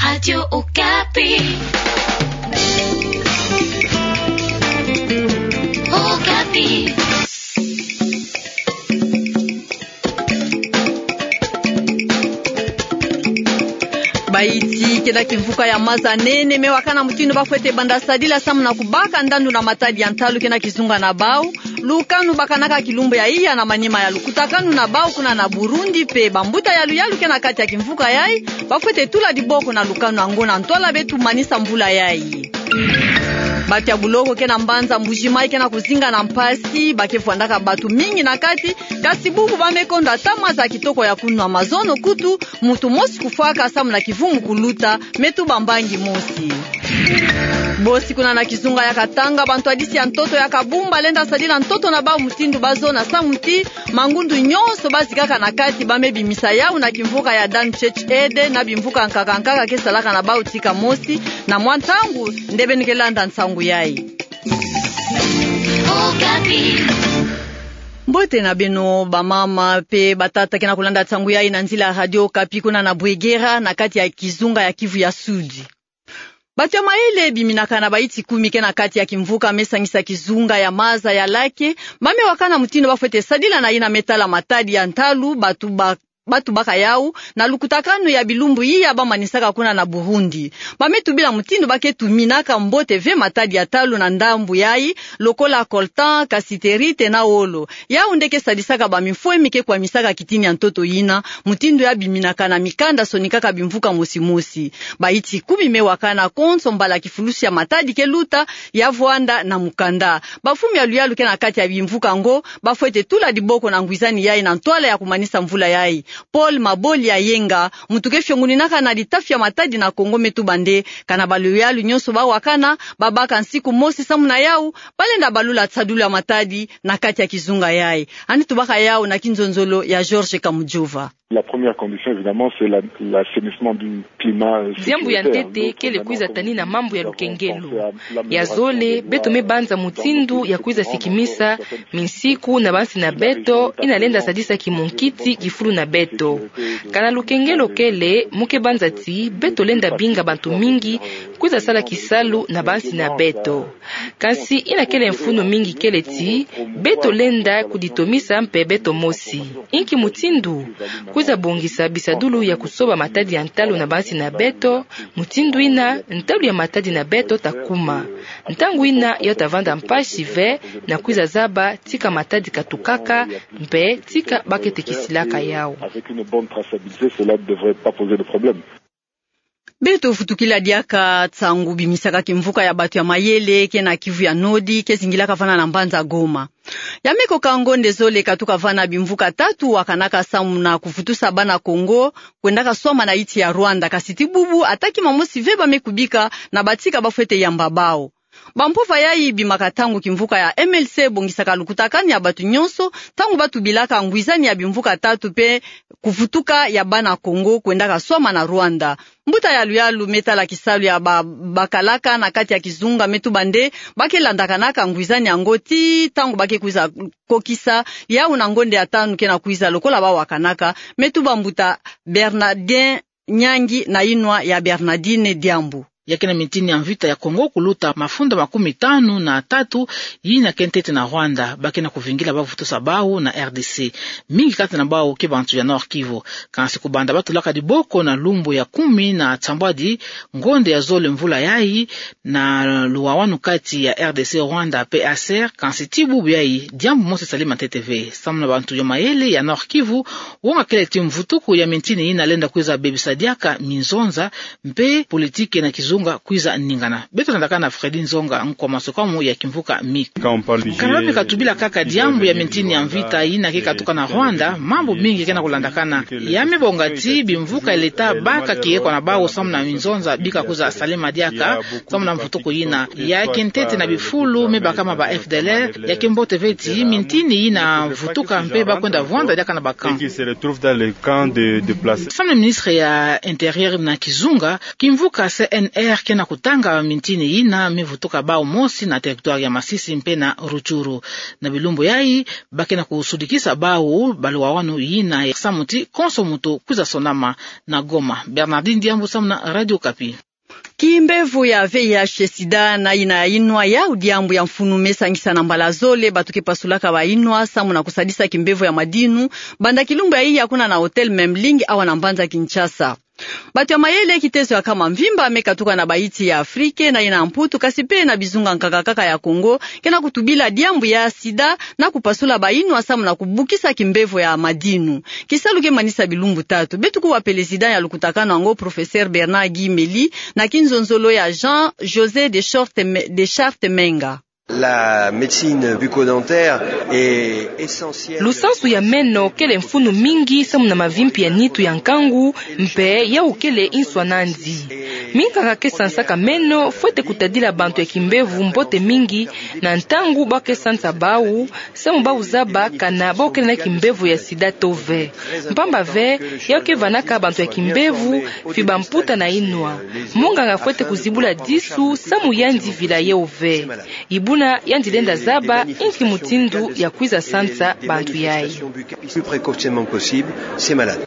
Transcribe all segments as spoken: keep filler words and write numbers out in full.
Radio Okapi. Okapi. Bayi ti kena kimvuka ya maza nene me wakana mutindu bafwete banda sadila samu na kubaka ndandu na matadi ya ntalu kena kizunga na bau. Lukanu bakanaka kilumbu ya iya na manima ya lukutakanu na bau kuna na Burundi, mpe bambuta ya luyalu kena kati ya kimvuka yayi bafwete tula diboko na lukanu yango na ntwala beto manisa mvula yayi. Batu ya buloko kena mbanza Mbuji-Mayi kena kuzinga na mpasi, ba ke vwandaka batu mingi na kati, kasi bubu ba me kondwa ata maza kitoko ya kunwa, mazono kutu muntu mosi kufwaka samu na kivumu kuluta, me tuba mbangi mosi. Bosi kuna na kizunga ya Katanga, bantwadisi ya ntoto ya kabumba lenda sadila ntoto na bau mutindu bazo na samu ti mangundu nyonso bazikaka na kati ba me bimisa yau na kimvuka ya Dan Church Aid na bimvuka nkaka nkaka ke salaka na bau tika mosi. Na mwa ntangu nde beno ke landa nsangu yayi. Mbote na beno bamama mpe batata kena kulanda nsangu yayi na nzila ya Radio Okapi kuna na Bwegera, na kati ya kizunga ya Kivu ya Sud. Batu ya mayele biminaka na bayi ti kumi kena kati ya kimvuka me sangisa kizunga ya maza ya Lake, ba me wakana mutindu bafwete sadila na yina me tala matadi ya ntalu, batu ba batu baka yau na lukutakanu ya bilumbu iya bamanisaka kuna na Burundi. Ba me tubila mutindu ba ke tuminaka mbote ve matadi ya ntalu na ndambu yayi, lokola coltan, cassiterite na wolo. Yau nde ke sadisaka bamifwemi ke kwamisaka kitini ya ntoto yina, mutindu ya biminaka na mikanda sonikaka bimvuka mosi mosi. Bayi ti kumi me wakana konso mbala kifulusi ya matadi ke luta, ya vwanda na mukanda. Bamfumu ya luyalu kena kati ya bimvuka ngo bafwete tula diboko na ngwizani yayi na ntwala ya kumanisa mvula yayi. Paul Maboli Ayenga, muntu ke fionguninaka na litafi ya matadi na Kongo, me tuba nde kana baluyalu nyonso ba wakana, babaka nsiku mosi samu na yau, balenda balula nsadulu ya matadi na kati ya kizunga yayi. Yandi tubaka yau na kinzonzolo ya George Kamujova. La première condition, évidemment, c'est la, l'assainissement du climat, euh, sécuritaire. Diambu ya ntete kele kwiza tanina mambu ya lukengelo. Ya zole, beto me banza mutindu ya kwiza sikimisa minsiku na bansi na beto, yina lenda sadisa kimunkiti kifulu na beto. Kana lukengelo kele, mu ke banza ti beto lenda binga bantu mingi kwiza sala kisalu na bansi na beto. Kansi yina kele mfunu mingi kele ti beto lenda kuditomisa mpe beto mosi. Inki mutindu? Kwiza bongisa bisadulu ya kusoba matadi ya ntalu na bansi na beto, mutindu yina ntalu ya matadi na beto ta kuma. Ntangu yina yo ta vanda mpasi ve na kwiza zaba tika matadi katukaka, mpe tika ba ke tekisilaka yau. Avec une bonne traçabilité, cela ne devrait pas poser de problème. Beto vutukila diaka nsangu bimisaka kimvuka ya batu ya mayele kena Kivu ya Nord, ke zingilaka vana na mbanza Goma. Ya me koka ngonde zole katuka vana, bimvuka tatu wakanaka samu na kuvutusa bana Kongo kwendaka swama na yinsi ya Rwanda, kansi ti bubu ata kima mosi ve ba me kubika na batika bafwete yamba bau. Bampova yayi bimaka ntangu kimvuka ya M L C ebongisaka lukutakanu ya batu nyonso, ntangu ba tubilaka ngwizani ya bimvuka tatu mpe kuvutuka ya bana Kongo kwendaka swama na Rwanda. Mbuta ya luyalu me tala kisalu ya ba, bakalaka na kati ya kizunga me tuba nde ba ke landakanaka ngwizani yango ti ntangu ba ke kwiza kokisa yau na ngonde ya tanu kena kwiza lokola ba wakanaka, me tuba mbuta Bernardin Nyangi na yinwa ya Bernardine Diambu. Ya kena mintini ya mvita ya Kongo kuluta mafunda makumi tanu na tatu yina ke ntete na Rwanda, ba kena kuvingila ba vutusa bau na R D C. Mingi kati na bau ke bantu ya Nord-Kivu. Kansi kubanda ba tulaka diboko na lumbu ya kumi na nsambwadi ngonde ya zole mvula yayi, na luwawanu kati ya R D C, Rwanda mpe A C R, kansi ti bubu yayi diambu mosi sali ma ntete ve. Samu na bantu ya mayele ya Nord-Kivu, wonga kele ti mvutuku ya mintini yina lenda kwiza bebisa diaka minzonza, mpe politiki na kizunga kwiza ningana. Beto landaka na Freddy Nzonga, nkwa masukamu ya kimvuka M I C. Kana ba me katubila kaka diambu ya mintini ya mvita yina ke katuka na Rwanda, mambu mingi kena kulandakana. Ya me bonga ti bimvuka ya leta baka kiekwa na bau samu na minzonza bika kwiza salama diaka, samu na mvutuku yina. Ya ke ntete na bifulu me bakama ba F D L R, ya ke mbote ve ti mintini yina vutuka mpe ba kwenda vwanda diaka na ba camp. Samu na ministre ya Intérieur na kizunga, kimvuka C N R Ke na kutanga mintini yina mivutuka bau mosi na territoire ya Masisi mpe na Rutshuru. Na bilumbu yayi, ba ke na kusudikisa bau balwawanu yina samu ti konso muntu kwiza sonama na Goma. Bernardine Diambu samu na Radio Okapi. Kimbevo ya V I H sida na yina ya inwa yau diambu ya mfunu me sangisa na mbala zole bantu ke pasulaka ba inwa samu na kusadisa kimbevo ya madinu, banda kilumbu ya iya kuna na Hôtel Memling awa na mbanza Kinshasa. Bantu ya mayele kiteso ya nkama mvimba me katuka na bayinti ya Afrike na yina Mputu, kasi mpe na bizunga nkaka kaka ya Kongo, ke na kutubila diambu ya sida na kupasula ba inwa samu na kubukisa kimbevo ya madinu. Kisalu ke manisa bilumbu tatu. Beto kuwa président ya lukutakanu yango, Professeur Bernard Guy Mely, na kinzonzolo ya Jean José de Charte, de Charte Menga. La médecine bucco-dentaire est essentielle. Lusansu ya meno kele mfunu mingi samu na mavimpi ya nitu ya nkangu, mpe yau kele nswa nandi. Minganga ke sansaka meno fwete kutadila bantu ya kimbevo mbote mingi na ntangu ba ke sansa bau, samu bau zaba kana bau kele na kimbevo ya sida to ve. Mpamba ve, yau ke vanaka bantu ya kimbevo, mfi ba mputa na inwa. Munganga fwete kuzibula disu, samu yandi vila yau ve. Ibuna yandi lenda zaba inki mutindu ya kwiza sansa bantu yayi. Plus précocement possible ces malades.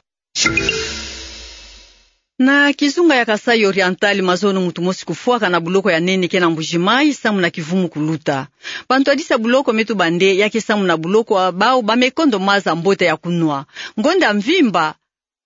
Na kizunga ya Kasaï Oriental, mazono muntu mosi kufwaka na buloko ya nene ke na Mbuji-Mayi samu na kivumu kuluta. Bantu ya disa buloko me tuba nde ya ke samu na buloko ya bau ba me kondo maza mbote ya kunwa. Ngonda ya mvimba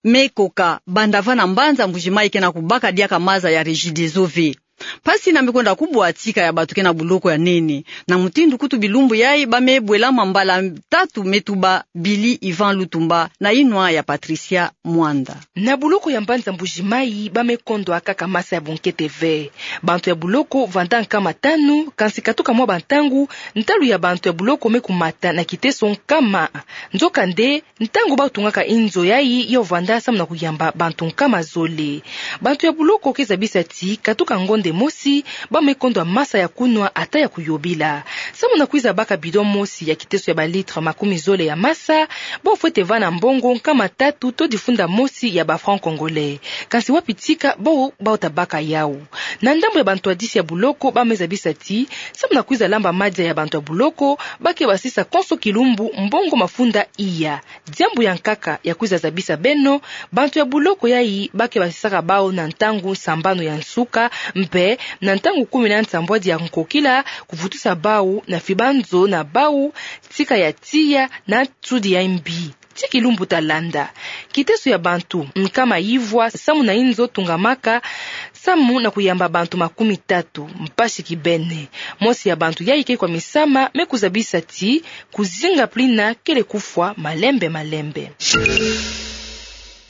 me koka banda va na mbanza Mbuji-Mayi ke na kubaka diaka maza ya Regideso ve. Mpasi yina me kwenda kubwa tika ya bantu ke na buloko ya nene. Na mutindu kutu bilumbu yayi ba me bwelama mbala tatu, me tuba Billy Ivan Lutumba na inwa ya Patricia Mwanda. Na buloko ya mbanza Mbuji-Mayi ba me kondwa kaka maza ya bunkete ve. Bantu ya buloko vanda nkama tanu, kansi katuka mwa bantangu, ntalu ya bantu ya buloko me kumata na kiteso nkama. Nzokande, ntangu bau tungaka inzo yayi, yau vanda samu na kuyamba bantu nkama zole. Bantu ya buloko ke zabisa ti katuka ngonda mosi, ba me kondwa maza ya kunwa ata ya kuyobila. Samu na kwiza baka bidon mosi ya kiteso ya ba litre makumi zole ya maza, bau fwete va na mbongo nkama tatu to difunda mosi ya ba francs congolais. Kansi wapi tika bau, bau ta baka yau? Na ndambu ya bantu ya disa ya buloko ba me zabisa ti, samu na kwiza lamba maza ya bantu ya buloko, ba ke basisa konso kilumbu mbongo mafunda iya. Diambu ya nkaka ya kwiza zabisa beno, bantu ya buloko yayi ba ke basisaka bau na ntangu sambanu ya nsuka, mpe na ntangu kumi na nsambwadi ya nkokila, kuvutusa bau na fibanzo na bau, tika ya tiya na nsudi ya mbi. Ti kilumbu ta landa, kiteso ya bantu nkama ivwa samu na inzo tungamaka, samu na kuyamba bantu makumi tatu, mpasi kibeni. Mosi ya bantu yayi ke kwamisama, me kuzabisa ti kuzinga plina kele kufwa malembe malembe.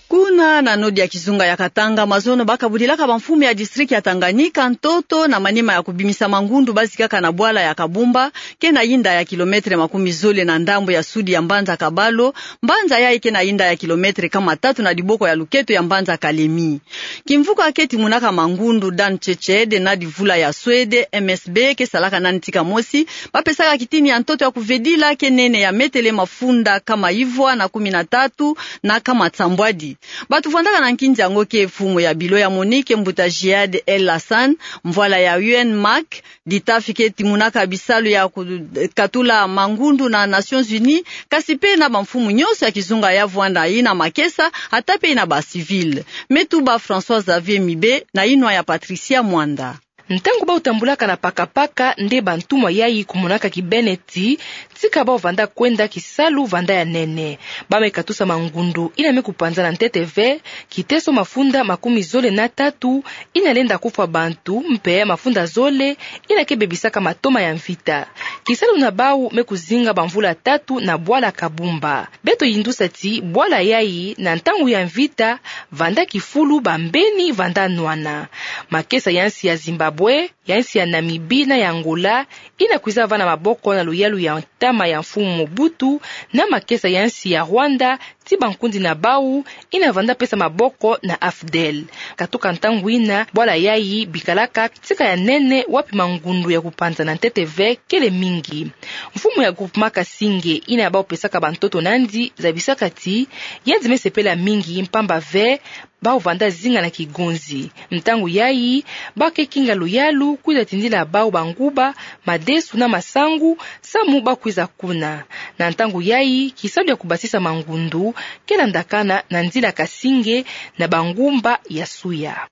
Kuna na nodi ya kizunga ya Katanga, mazono ba kabudilaka bamfumu ya district ya Tanganyika ntoto na manima ya kubimisa mangundu ba zikaka na bwala ya Kabumba, ke na yinda ya kilomètre makumi zole na ndambu ya sudi ya mbanza Kabalo, mbanza yayi ke na yinda ya kilomètre nkama tatu na diboko ya luketo ya mbanza Kalemi. Kimvuka ke timunaka mangundu Dan Chechede na divula ya Suède, M S B, ke salaka nani tika mosi, ba pesaka kitini ya ntoto ya kuvedila ke nene ya metele mafunda nkama ivwa na kumi na tatu na nkama nsambwadi. Bantu vwandaka na nkinzi yango ke mfumu ya bilo ya Monique, mbuta Jihad El Hassan, mvwala ya U N Mark, ditafi ke timunaka bisalu ya kukatula mangundu na Nations Unies, kasi mpe na bamfumu nyonso ya kizunga ya vwanda, yina makesa, ata mpe yina ba civil. Me tuba François Xavier Mibe, na inwa ya Patricia Mwanda. Ntangu bau tambulaka na pakapaka, nde bantumwa yayi kumonaka kibeni ti, tika bau vanda kwenda kisalu vanda ya nene. Ba me katusa mangundu yina me kupanzana ntete ve, kiteso mafunda makumi zole na tatu, yina lenda kufwa bantu, mpe mafunda zole, yina ke bebisaka matoma ya mvita. Kisalu na bau me kuzinga bamvula tatu na bwala Kabumba. Beto yindusa ti bwala yayi na ntangu ya mvita, vanda kifulu bambeni vanda nwana. Makesa ya nsi ya Zimbabwe, ya nsi ya Namibie na ya Angola, yina kwiza va na maboko na luyalu ya ntama ya mfumu Mobutu, na makesa ya nsi ya Rwanda, ti bankundi na bau, yina vanda pesa maboko na AFDEL. Katuka ntangu yina, bwala yayi bikalaka tika ya nene wapi mangundu ya kupanzana ntete ve kele mingi. Mfumu ya groupe Makasinge, yina bau pesaka bantoto nandi, zabisaka ti, yandi me sepela mingi mpamba ve, bau vanda zinga na kigonzi. Ntangu yayi, ba ke kinga luyalu kwiza tindila bau banguba, madesu na masangu, samu ba kwiza kuna. Na ntangu yayi, kisalu ya kubasisa mangundu ke landakana na nzila kasinge na bangumba ya Suya.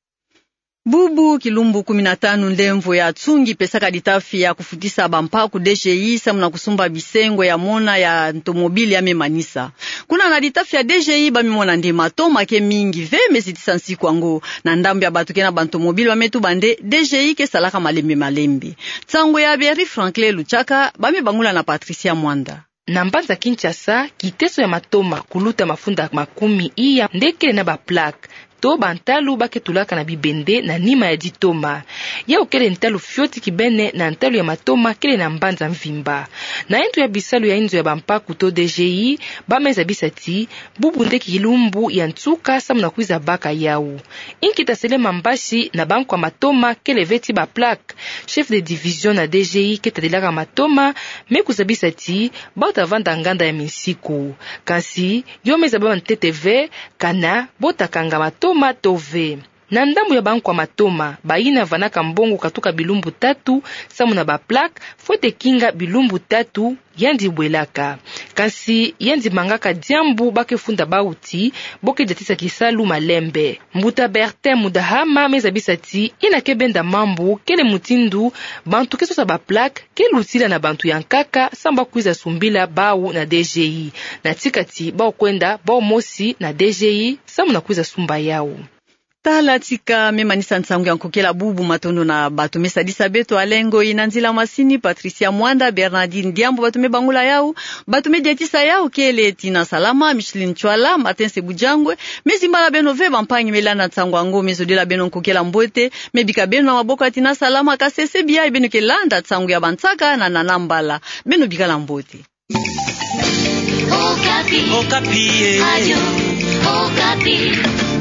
Bubu kilumbu kumi na tanu ndemvo ya tsungi pesaka litafi ya kufutisa bampaku D G I samu na kusumba bisengo ya mona ya ntomobile ya me manisa. Kuna na litafi ya D G I ba me mona nde matoma ke mingi ve me zitisa nsiku yango. Na ndambu ya bato ke na bantomobile ba me tuba nde D G I ke salaka malembe malembe. Nsangu ya Berry Franklin Luchaka, ba me bangula na Patricia Mwanda. Na mbanza Kinshasa, kiteso ya matoma kuluta mafunda makumi iya nde kele na baplaque to bantalu ba ke tulaka na bibende na nima ya ditoma. Yau kele ntalu fioti kibene na ntalu ya matoma kele na mbanza mvimba. Na yindu ya bisalu ya inzo ya bampaku to D G I, ba me zabisa ti bubu nde kilumbu ya nsuka samu na kwiza baka yau. Inki ta sele mambasi na bankwa matoma kele ve ti baplaque? Chef de division na D G I ke tadilaka matoma me kuzabisa ti bau ta vanda nganda ya minsiku. Kansi yo me zaba ntete ve kana bo ta kanga matoma to ve. Na ndambu ya bankwa matoma, bayina vanaka mbongo katuka bilumbu tatu samu na baplaque, fwete kinga bilumbu tatu yandi bwelaka. Kansi yandi mangaka diambu ba ke funda bau ti bo ke diatisa kisalu malembe. Mbuta Bertin Mudahama me zabisa ti yina ke benda mambu kele mutindu bantu ke sosa baplaque ke lutila na bantu ya nkaka samu ba kwiza sumbila bau na D G I. Na tika ti bau kwenda bau mosi na D G I samu na kwiza sumba yau. Tala tika me manisa nsangu ya nkokela bubu. Matondo na bato me sadisa beto. Alengoi na nzila masini Patricia Mwanda, Bernardine Diambu, bato me bangula yau. Bato me diatisa yau kele Tina Salama, Micheline Chwala, Martin Sebujangwe. Me zimbala beno ve bampangi me landa nsangu yango, me zodila beno nkokela mbote. Me bika beno na maboko ya Tina Salama. Kasese biai beno ke landa nsangu ya bansaka na Nana Mbala. Beno bikala mbote. Okapi. Okapi, eh. Radio Okapi.